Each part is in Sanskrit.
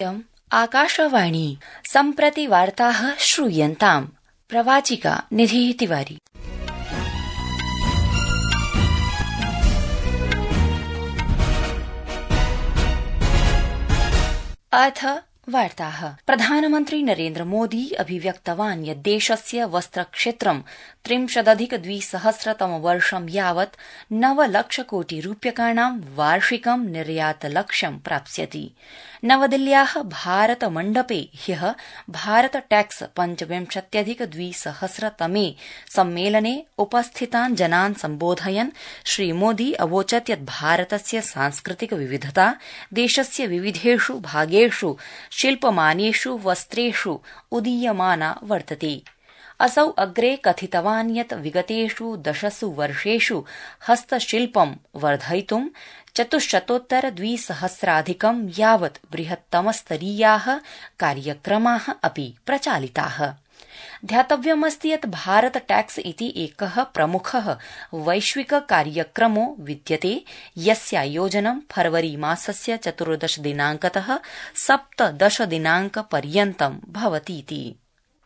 इदम् आकाशवाणी सम्प्रति वार्ताः श्रूयन्ताम्। प्रवाचिका निधिः तिवारी। अथ वार्ताः। प्रधानमन्त्री नरेन्द्र मोदी अभिव्यक्तवान् यत् देशस्य वस्त्रक्षेत्रं 30,200 यावत् 9 लक्षकोटि रूप्यकाणां वार्षिकं निर्यातलक्ष्यं प्राप्स्यति। नवदिल्ल्याः भारत मण्डपे ह्यः भारत टैक्स 25,200 तमे सम्मेलने उपस्थितान् जनान् सम्बोधयन् श्रीमोदी अवोचत् यत् भारतस्य सांस्कृतिक विविधता देशस्य विविधेषु भागेषु शिल्पमानेषु वस्त्रेषु उदीयमाना वर्तते। असौ अग्रे कथितवान् यत् विगतेषु 10 वर्षेषु हस्तशिल्पं वर्धयितुं 4,200 यावत् बृहत्तमस्तरीयाः कार्यक्रमाः अपि प्रचालिताः। ध्यातव्यमस्ति यत् भारत टैक्स इति एकः प्रमुखः वैश्विक कार्यक्रमो विद्यते, यस्यायोजनं फरवरी मासस्य 14 दिनाङ्कतः 17 दिनाङ्कपर्यन्तं भवतीति।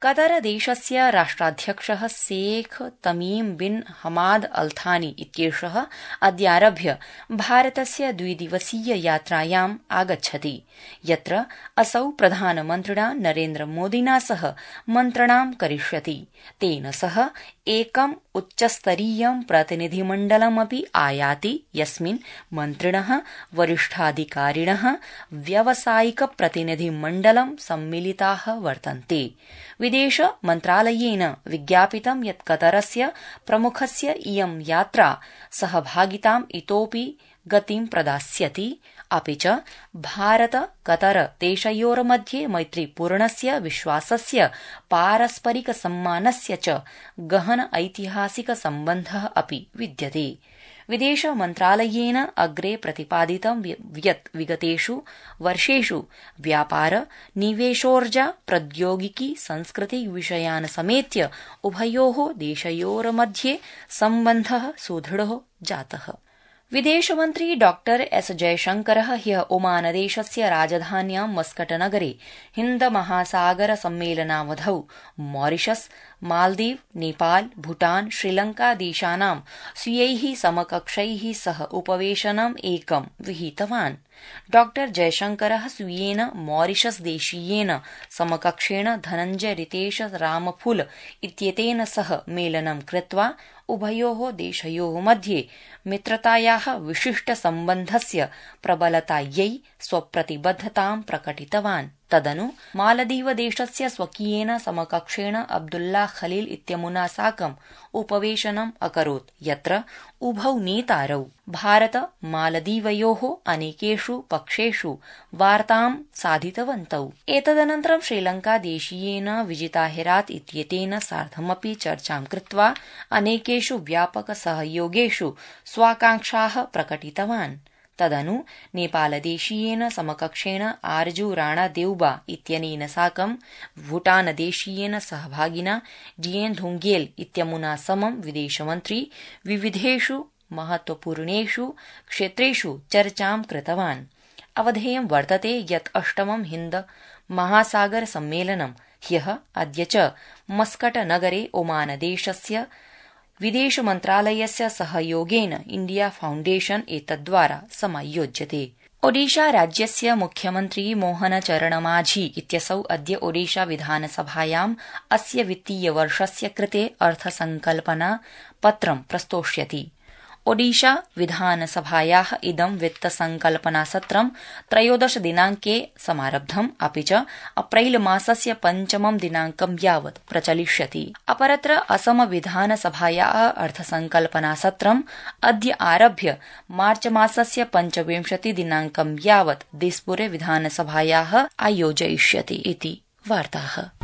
कतर देशस्य राष्ट्राध्यक्षः शेख तमीम बिन हमाद अल थानी इत्येषः अद्यारभ्य भारतस्य 2 दिवसीय यात्रायाम् आगच्छति, यत्र असौ प्रधानमन्त्रिणा नरेन्द्र मोदिना सह मन्त्रणां करिष्यति। तेन सह एकम् उच्चस्तरीयं प्रतिनिधिमण्डलमपि आयाति, यस्मिन् मन्त्रिणः, वरिष्ठाधिकारिणः, व्यावसायिक प्रतिनिधिमण्डलं सम्मिलिताः वर्तन्ते। विदेश मन्त्रालयेन विज्ञापितं यत् कतरस्य प्रमुखस्य इयं यात्रा सहभागिताम् इतोऽपि गतिं प्रदास्यति, अपि च भारत कतर देशयोर्मध्ये मैत्रीपूर्णस्य विश्वासस्य पारस्परिक सम्मानस्य च गहन ऐतिहासिक सम्बन्धः अपि विद्यते। विदेश मन्त्रालयेन अग्रे प्रतिपादितं यत् विगतेषु वर्षेषु व्यापार, निवेशोर्जा, प्रौद्योगिकी, संस्कृति विषयान् समेत्य उभयोः देशयोर्मध्ये सम्बन्धः सुदृढो जातः। विदेशमन्त्री डॉक्टर एस जयशंकरः ह्यः ओमानदेशस्य राजधान्यां मस्कट नगरे हिन्द महासागर सम्मेलनावधौ मॉरिशस, मालदीव, नेपाल, भूटान, श्रीलंका देशानां स्वीयैः समकक्षैः सह उपवेशनम् एकं विहितवान्। डॉक्टर जयशंकरः स्वीयेन मॉरिशस देशीयेन समकक्षेण धनञ्जय रितेश रामफुल इत्येतेन सह मेलनं कृत्वा उभयोः देशयोः मध्ये मित्रतायाः विशिष्टसम्बन्धस्य प्रबलतायै स्वप्रतिबद्धतां प्रकटितवान्। तदनु मालदीवदेशस्य स्वकीयेन समकक्षेण अब्दुल्ला खलील इत्यमुना साकम् उपवेशनम् अकरोत्, यत्र उभौ नेतारौ भारत मालदीवयोः अनेकेषु पक्षेषु वार्तां साधितवन्तौ। एतदनन्तरं श्रीलङ्कादेशीयेन विजिता हेरात् इत्येतेन सार्धमपि चर्चां कृत्वा अनेकेषु व्यापक सहयोगेषु स्वाकाङ्क्षाः प्रकटितवान्। तदनु नेपालदेशीयेन समकक्षेण आरजू राणा देउबा इत्यनेन साकं भूटानदेशीयेन सहभागिना डिएन धुंगेल इत्यमुना समं विदेशमन्त्री विविधेषु महत्वपूर्णेषु क्षेत्रेषु चर्चां कृतवान्। अवधेयं वर्तते यत् 8मं हिन्द महासागर सम्मेलनं ह्यः अद्य च मस्कट नगरे ओमानदेशस्य विदेश मन्त्रालयस्य सहयोगेन इंडिया फाउण्डेशन एतद्द्वारा समायोज्यते। ओडिशा राज्यस्य मुख्यमन्त्री मोहन चरण माझी इत्यसौ अद्य ओडिशा विधानसभायाम् अस्य वित्तीयवर्षस्य कृते अर्थसंकल्पना पत्रं प्रस्तोष्यति। ओडिशा विधानसभायाः इदं वित्तसंकल्पनासत्रं 13 दिनाङ्के समारब्धम्, अपि च अप्रैल मासस्य 5 दिनाङ्कं यावत् प्रचलिष्यति। अपरत्र असम विधानसभायाः अर्थसंकल्पनासत्रम् अद्य आरभ्य मार्च मासस्य 25 दिनाङ्कं यावत् दिस्पुरे विधानसभायाः आयोजयिष्यति इति वार्ताः।